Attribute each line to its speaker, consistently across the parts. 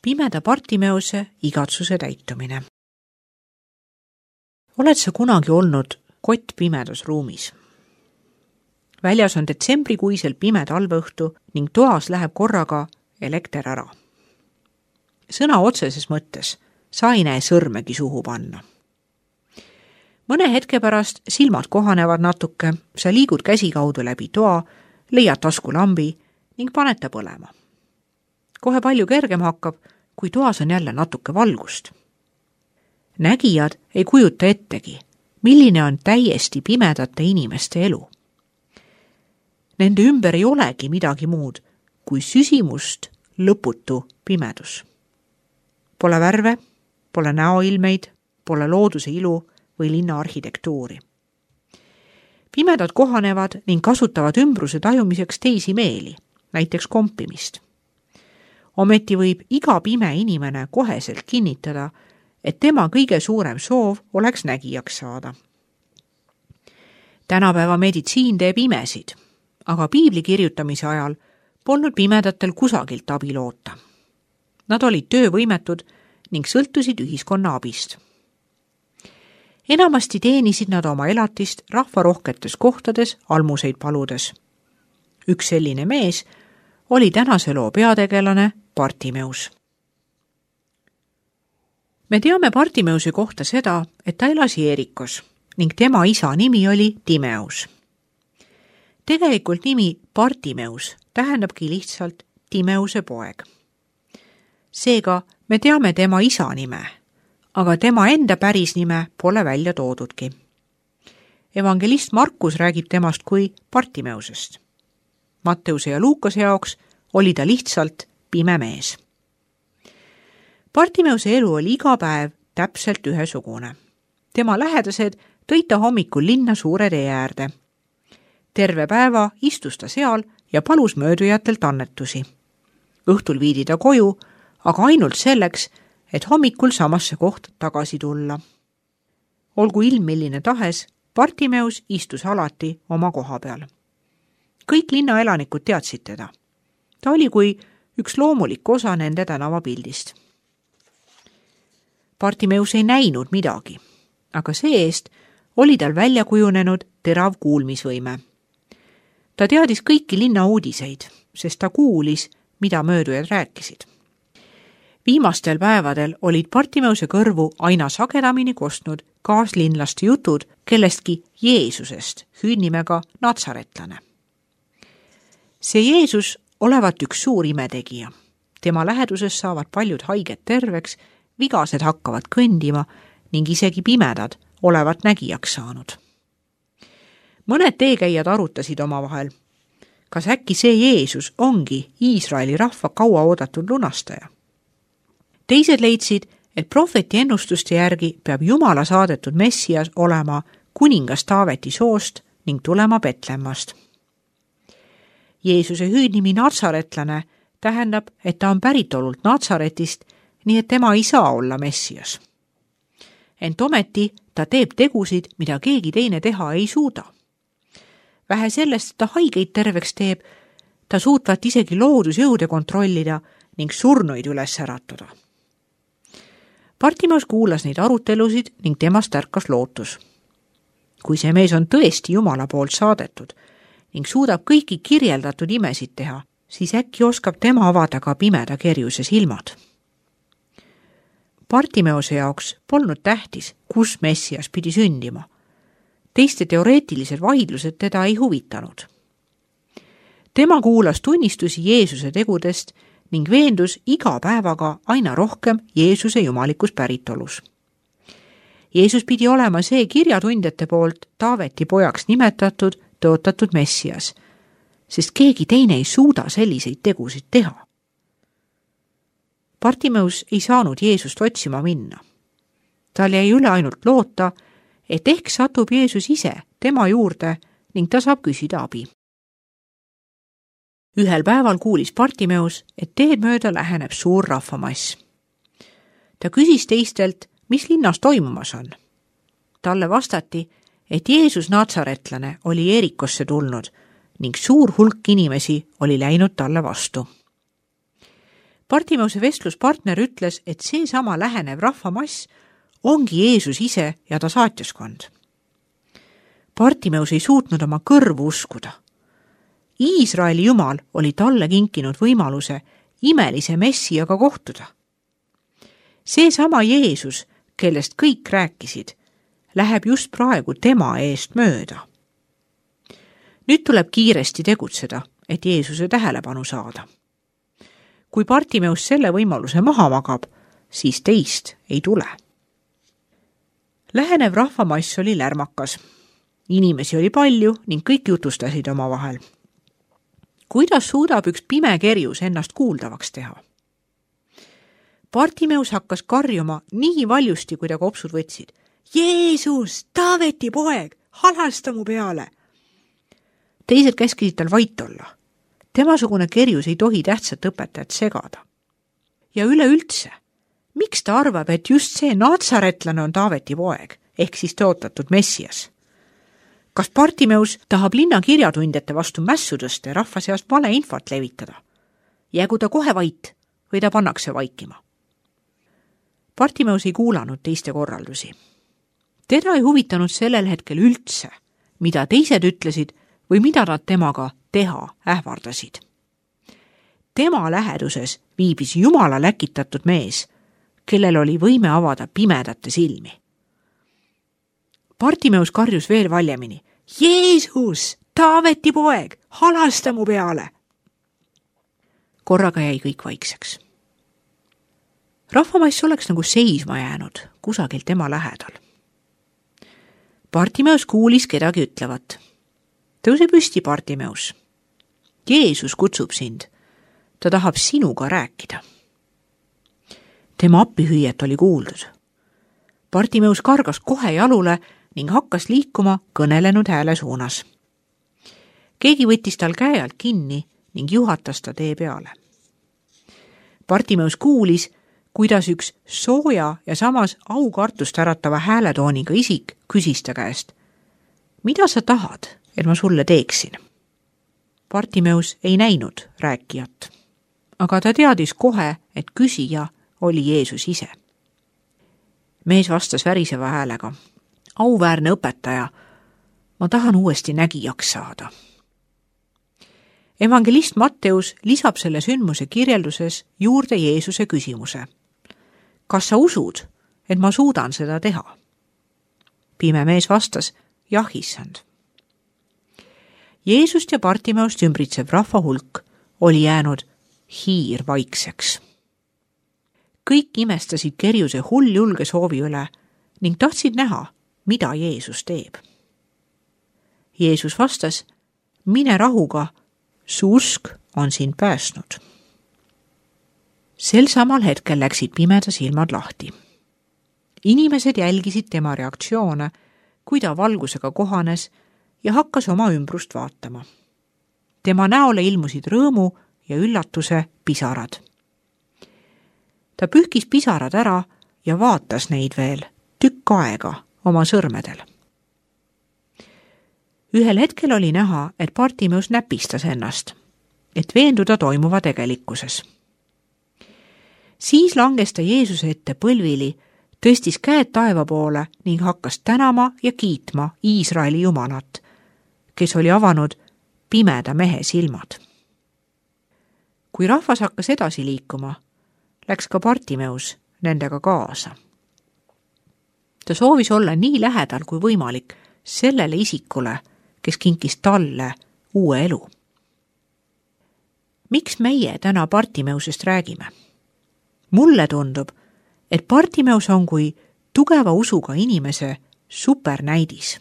Speaker 1: Pimeda Bartimeuse igatsuse täitumine. Oled sa kunagi olnud kott pimedas ruumis? Väljas on detsembrikuisel pime talveõhtu ning toas läheb korraga elekter ära. Sõna otseses mõttes sa ei näe sõrmegi suhu panna. Mõne hetke pärast silmad kohanevad natuke, sa liigud käsikaudu läbi toa, leiad taskulambi ning paned ta põlema. Kohe palju kergem hakkab, kui toas on jälle natuke valgust. Nägijad ei kujuta ettegi, milline on täiesti pimedate inimeste elu. Nende ümber ei olegi midagi muud kui süsimust lõputu pimedus. Pole värve, pole näoilmeid, pole looduse ilu või linna arhitektuuri. Pimedad kohanevad ning kasutavad ümbruse tajumiseks teisi meeli, näiteks kompimist. Ometi võib iga pime inimene koheselt kinnitada, et tema kõige suurem soov oleks nägijaks saada. Tänapäeva meditsiin teeb imesid, aga piibli kirjutamise ajal polnud pimedatel kusagilt abi loota. Nad olid töövõimetud ning sõltusid ühiskonna abist. Enamasti teenisid nad oma elatist rahvarohketes kohtades almuseid paludes. Üks selline mees oli tänase loo peategelane Bartimeus. Me teame Bartimeuse kohta seda, et ta elas Jeerikos ning tema isa nimi oli Timeus. Tegelikult nimi Bartimeus tähendabki lihtsalt Timeuse poeg. Seega me teame tema isa nime, aga tema enda päris nime pole välja toodudki. Evangelist Markus räägib temast kui Bartimeusest. Matteuse ja Luukase jaoks oli ta lihtsalt pime mees. Bartimeuse elu oli iga päev täpselt ühesugune. Tema lähedased tõid ta hommikul linna suure tee äärde. Terve päeva istus ta seal ja palus möödujatelt annetusi. Õhtul viidi ta koju, aga ainult selleks, et hommikul samasse kohta tagasi tulla. Olgu ilm milline tahes, Bartimeus istus alati oma koha peal. Kõik linnaelanikud teadsid teda. Ta oli kui üks loomulik osa nende tänavapildist. Bartimeus ei näinud midagi, aga see-eest oli tal välja kujunenud terav kuulmisvõime. Ta teadis kõiki linna uudiseid, sest ta kuulis, mida möödujad rääkisid. Viimastel päevadel olid Bartimeuse kõrvu aina sagedamini kostnud kaaslinlaste jutud kellestki Jeesusest, hüüdnimega Natsaretlane. See Jeesus olevat üks suur imetegija. Tema läheduses saavad paljud haiged terveks, vigased hakkavad kõndima ning isegi pimedad olevat nägijaks saanud. Mõned teekäijad arutasid omavahel, kas äkki see Jeesus ongi Iisraeli rahva kaua oodatud lunastaja. Teised leidsid, et prohveti ennustuste järgi peab Jumala saadetud Messias olema kuningas Taaveti soost ning tulema Betlemmast. Jeesuse hüüdnimi Natsaretlane tähendab, et ta on päritolult Natsaretist, nii et tema ei saa olla Messias. Ent ometi ta teeb tegusid, mida keegi teine teha ei suuda. Vähe sellest, et ta haigeid terveks teeb, ta suutvat isegi loodusjõude kontrollida ning surnuid üles äratada. Bartimeus kuulas neid arutelusid ning temast ärkas lootus. Kui see mees on tõesti Jumala poolt saadetud ning suudab kõiki kirjeldatud imesid teha, siis äkki oskab tema avada ka pimeda kerjuse silmad. Bartimeuse jaoks polnud tähtis, kus Messias pidi sündima. Teiste teoreetilised vaidlused teda ei huvitanud. Tema kuulas tunnistusi Jeesuse tegudest ning veendus iga päevaga aina rohkem Jeesuse jumalikus päritolus. Jeesus pidi olema see kirjatundjate poolt Taaveti pojaks nimetatud, tõotatud Messias, sest keegi teine ei suuda selliseid tegusid teha. Bartimeus ei saanud Jeesust otsima minna. Tal jäi üle ainult loota, et ehk satub Jeesus ise tema juurde ning ta saab küsida abi. Ühel päeval kuulis Bartimeus, et teed mööda läheneb suur rahvamass. Ta küsis teistelt, mis linnas toimumas on. Talle vastati, et Jeesus Natsaretlane oli Jeerikosse tulnud ning suur hulk inimesi oli läinud talle vastu. Bartimeuse vestluspartner ütles, et seesama lähenev rahvamass ongi Jeesus ise ja ta saatjaskond. Bartimeus ei suutnud oma kõrvu uskuda. Iisraeli Jumal oli talle kinkinud võimaluse imelise Messiaga kohtuda. Seesama Jeesus, kellest kõik rääkisid, läheb just praegu tema eest mööda. Nüüd tuleb kiiresti tegutseda, et Jeesuse tähelepanu saada. Kui Bartimeus selle võimaluse maha magab, siis teist ei tule. Lähenev rahvamass oli lärmakas. Inimesi oli palju ning kõik jutustasid omavahel. Kuidas suudab üks pime kerjus ennast kuuldavaks teha? Bartimeus hakkas karjuma nii valjusti, kui ta kopsud võtsid. Jeesus, Taaveti poeg, halasta mu peale! Teised käskisid tal vait olla. Temasugune kerjus ei tohi tähtsat õpetajat segada. Ja üleüldse, miks ta arvab, et just see natsaretlane on Taaveti poeg, ehk siis tõotatud Messias? Kas Bartimeus tahab linna kirjatundjate vastu mässu tõsta ja rahva seast valeinfot levitada? Jäägu ta kohe vait või ta pannakse vaikima? Bartimeus ei kuulanud teiste korraldusi. Teda ei huvitanud sellel hetkel üldse, mida teised ütlesid või mida nad temaga teha ähvardasid. Tema läheduses viibis Jumala läkitatud mees, kellel oli võime avada pimedate silmi. Bartimeus karjus veel valjemini. Jeesus, Taaveti poeg, halasta mu peale! Korraga jäi kõik vaikseks. Rahvamass oleks nagu seisma jäänud kusagil tema lähedal. Bartimeus kuulis kedagi ütlevat. Tõuse püsti, Bartimeus. Jeesus kutsub sind. Ta tahab sinuga rääkida. Tema appihüüet oli kuuldud. Bartimeus kargas kohe jalule ning hakkas liikuma kõnelenud hääle suunas. Keegi võttis tal käe alt kinni ning juhatas ta tee peale. Bartimeus kuulis, kuidas üks sooja ja samas aukartust äratava hääletooniga isik küsis ta käest. Mida sa tahad, et ma sulle teeksin? Bartimeus ei näinud rääkijat, aga ta teadis kohe, et küsija oli Jeesus ise. Mees vastas väriseva häälega. Auväärne õpetaja, ma tahan uuesti nägijaks saada. Evangelist Matteus lisab selle sündmuse kirjelduses juurde Jeesuse küsimuse. Kas sa usud, et ma suudan seda teha? Pime mees vastas, jah, issand. Jeesust ja Bartimeust ümbritsev rahva hulk oli jäänud hiirvaikseks. Kõik imestasid kerjuse hulljulge soovi üle ning tahtsid näha, mida Jeesus teeb. Jeesus vastas, mine rahuga, su usk on sind päästnud. Sel samal hetkel läksid pimeda silmad lahti. Inimesed jälgisid tema reaktsioone, kui ta valgusega kohanes ja hakkas oma ümbrust vaatama. Tema näole ilmusid rõõmu ja üllatuse pisarad. Ta pühkis pisarad ära ja vaatas neid veel tükk aega oma sõrmedel. Ühel hetkel oli näha, et Bartimeus näpistas ennast, et veenduda toimuva tegelikkuses. Siis langes ta Jeesuse ette põlvili, tõstis käed taeva poole ning hakkas tänama ja kiitma Iisraeli Jumalat, kes oli avanud pimeda mehe silmad. Kui rahvas hakkas edasi liikuma, läks ka Bartimeus nendega kaasa. Ta soovis olla nii lähedal kui võimalik sellele isikule, kes kinkis talle uue elu. Miks meie täna Bartimeusest räägime? Mulle tundub, et Bartimeus on kui tugeva usuga inimese supernäidis.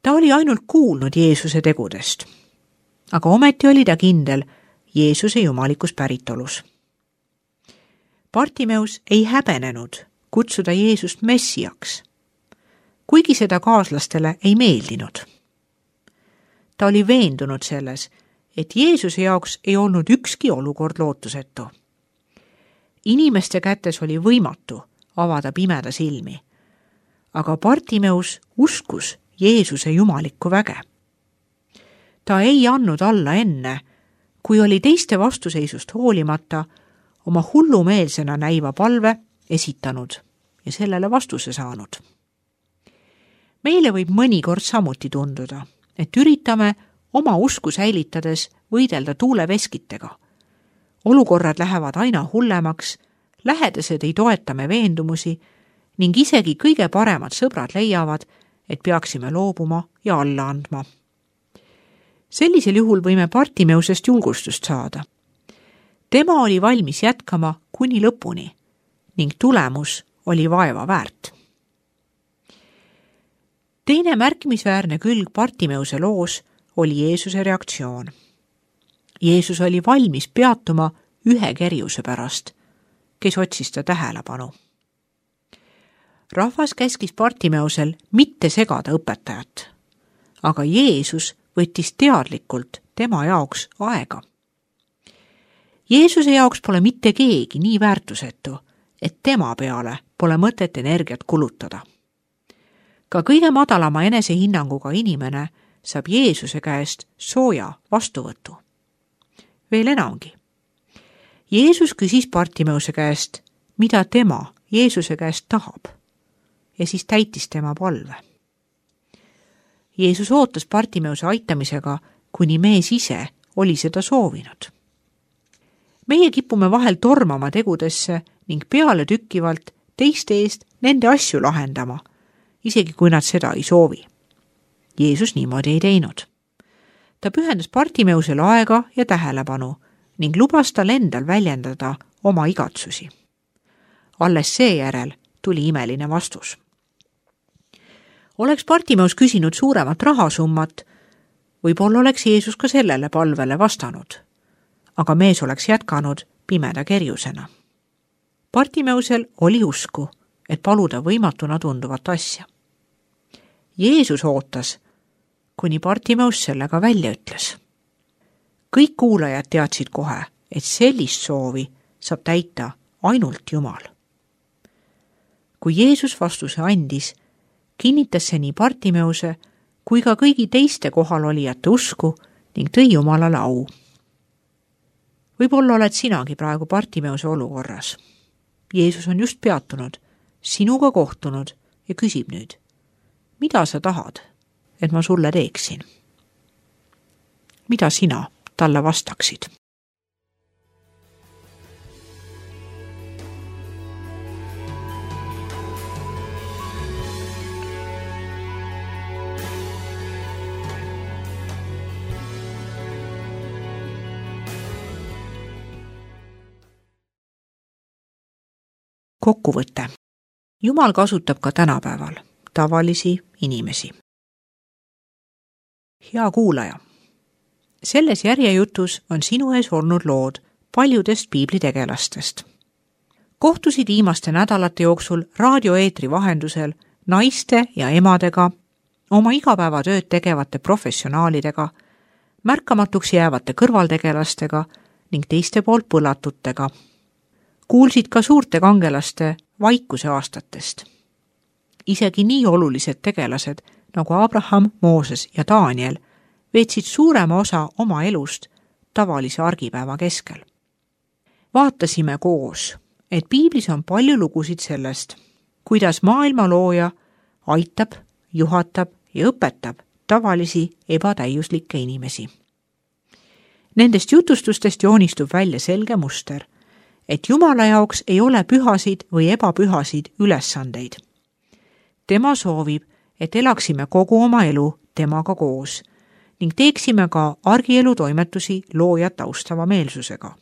Speaker 1: Ta oli ainult kuulnud Jeesuse tegudest, aga ometi oli ta kindel Jeesuse jumalikus päritolus. Bartimeus ei häbenenud kutsuda Jeesust Messiaks, kuigi seda kaaslastele ei meeldinud. Ta oli veendunud selles, et Jeesuse jaoks ei olnud ükski olukord lootusetu. Inimeste kätes oli võimatu avada pimeda silmi, aga Bartimeus uskus Jeesuse jumalikku väge. Ta ei andnud alla enne, kui oli teiste vastuseisust hoolimata oma hullumeelsena näiva palve esitanud ja sellele vastuse saanud. Meile võib mõnikord samuti tunduda, et üritame oma usku säilitades võidelda tuuleveskitega. Olukorrad lähevad aina hullemaks, lähedased ei toeta me veendumusi ning isegi kõige paremad sõbrad leiavad, et peaksime loobuma ja alla andma. Sellisel juhul võime Bartimeusest julgustust saada. Tema oli valmis jätkama kuni lõpuni ning tulemus oli vaeva väärt. Teine märkimisväärne külg Bartimeuse loos oli Jeesuse reaktsioon. Jeesus oli valmis peatuma ühe kerjuse pärast, kes otsis ta tähelepanu. Rahvas käskis Bartimeusel mitte segada õpetajat, aga Jeesus võttis teadlikult tema jaoks aega. Jeesuse jaoks pole mitte keegi nii väärtusetu, et tema peale pole mõtet energiat kulutada. Ka kõige madalama enesehinnanguga inimene saab Jeesuse käest sooja vastuvõtu. Veel enamgi. Jeesus küsis Bartimeuse käest, mida tema Jeesuse käest tahab, ja siis täitis tema palve. Jeesus ootas Bartimeuse aitamisega, kuni mees ise oli seda soovinud. Meie kipume vahel tormama tegudesse ning peale tükkivalt teiste eest nende asju lahendama, isegi kui nad seda ei soovi. Jeesus niimoodi ei teinud. Ta pühendas Bartimeusele aega ja tähelepanu ning lubas tal endal väljendada oma igatsusi. Alles seejärel tuli imeline vastus. Oleks Bartimeus küsinud suuremat rahasummat, võib-olla oleks Jeesus ka sellele palvele vastanud, aga mees oleks jätkanud pimeda kerjusena. Bartimeusel oli usku, et paluda võimatuna tunduvat asja. Jeesus ootas, kuni Bartimeus sellega välja ütles. Kõik kuulajad teadsid kohe, et sellist soovi saab täita ainult Jumal. Kui Jeesus vastuse andis, kinnitas see nii Bartimeuse kui ka kõigi teiste kohalolijate usku ning tõi Jumalale au. Võib-olla oled sinagi praegu Bartimeuse olukorras. Jeesus on just peatunud, sinuga kohtunud ja küsib nüüd, mida sa tahad, et ma sulle teeksin? Mida sina talle vastaksid? Kokkuvõte. Jumal kasutab ka tänapäeval tavalisi inimesi. Hea kuulaja, selles järjejutus on sinu ees olnud lood paljudest piiblitegelastest. Kohtusid viimaste nädalate jooksul raadioeetri vahendusel naiste ja emadega, oma igapäevatööd tegevate professionaalidega, märkamatuks jäävate kõrvaltegelastega ning teiste poolt põlatutega. Kuulsid ka suurte kangelaste vaikuse aastatest. Isegi nii olulised tegelased nagu Abraham, Mooses ja Daniel veetsid suurema osa oma elust tavalise argipäeva keskel. Vaatasime koos, et piiblis on palju lugusid sellest, kuidas maailma looja aitab, juhatab ja õpetab tavalisi ebatäiuslikke inimesi. Nendest jutustustest joonistub välja selge muster, et Jumala jaoks ei ole pühasid või ebapühasid ülesandeid. Tema soovib, et elaksime kogu oma elu temaga koos ning teeksime ka argielu toimetusi loojat austava meelsusega.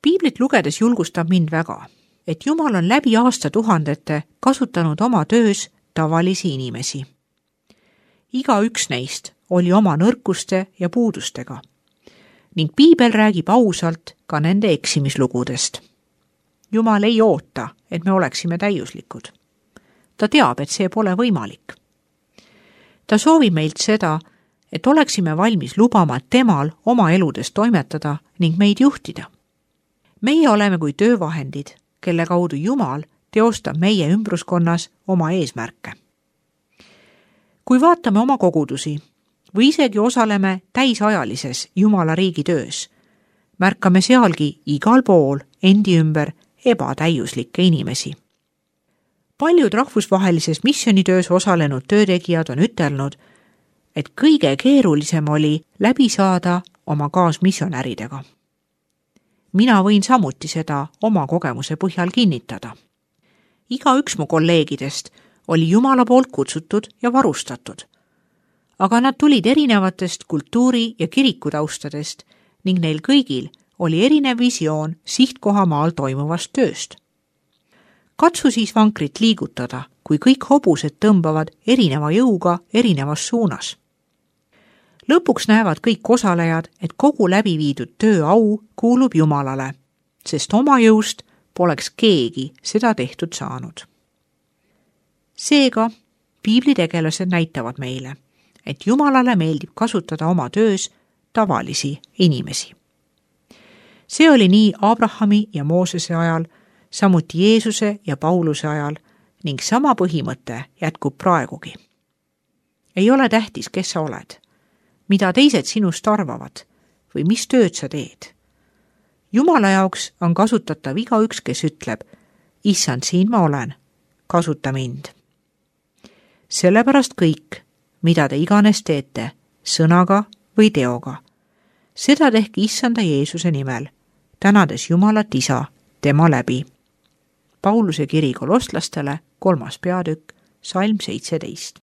Speaker 1: Piiblit lugedes julgustab mind väga, et Jumal on läbi aastatuhandete kasutanud oma töös tavalisi inimesi. Igaüks neist oli oma nõrkuste ja puudustega ning piibel räägib ausalt ka nende eksimislugudest. Jumal ei oota, et me oleksime täiuslikud. Ta teab, et see pole võimalik. Ta soovib meilt seda, et oleksime valmis lubama temal oma eludes toimetada ning meid juhtida. Meie oleme kui töövahendid, kelle kaudu Jumal teostab meie ümbruskonnas oma eesmärke. Kui vaatame oma kogudusi, või isegi osaleme täisajalises Jumala riigi töös, märkame sealgi igal pool endi ümber ebatäiuslikke inimesi. Paljud rahvusvahelises missionitöös osalenud töötegijad on ütelnud, et kõige keerulisem oli läbi saada oma kaasmissionäridega. Mina võin samuti seda oma kogemuse põhjal kinnitada. Igaüks mu kolleegidest oli Jumala poolt kutsutud ja varustatud, aga nad tulid erinevatest kultuuri- ja kirikutaustadest ning neil kõigil oli erinev visioon sihtkohamaal toimuvast tööst. Katsu siis vankrit liigutada, kui kõik hobused tõmbavad erineva jõuga erinevas suunas. Lõpuks näevad kõik osalejad, et kogu läbi viidud töö au kuulub Jumalale, sest oma jõust poleks keegi seda tehtud saanud. Seega, piiblitegelased näitavad meile, et Jumalale meeldib kasutada oma töös tavalisi inimesi. See oli nii Abrahami ja Moosese ajal, samuti Jeesuse ja Pauluse ajal ning sama põhimõte jätkub praegugi. Ei ole tähtis, kes sa oled, mida teised sinust arvavad või mis tööd sa teed. Jumala jaoks on kasutatav igaüks, kes ütleb, Issand, siin ma olen, kasuta mind. Sellepärast kõik, mida te iganes teete, sõnaga või teoga, seda tehke Issanda Jeesuse nimel, tänades Jumalat Isa tema läbi. Pauluse kiri kolosslastele, 3. peatükk, salm 17.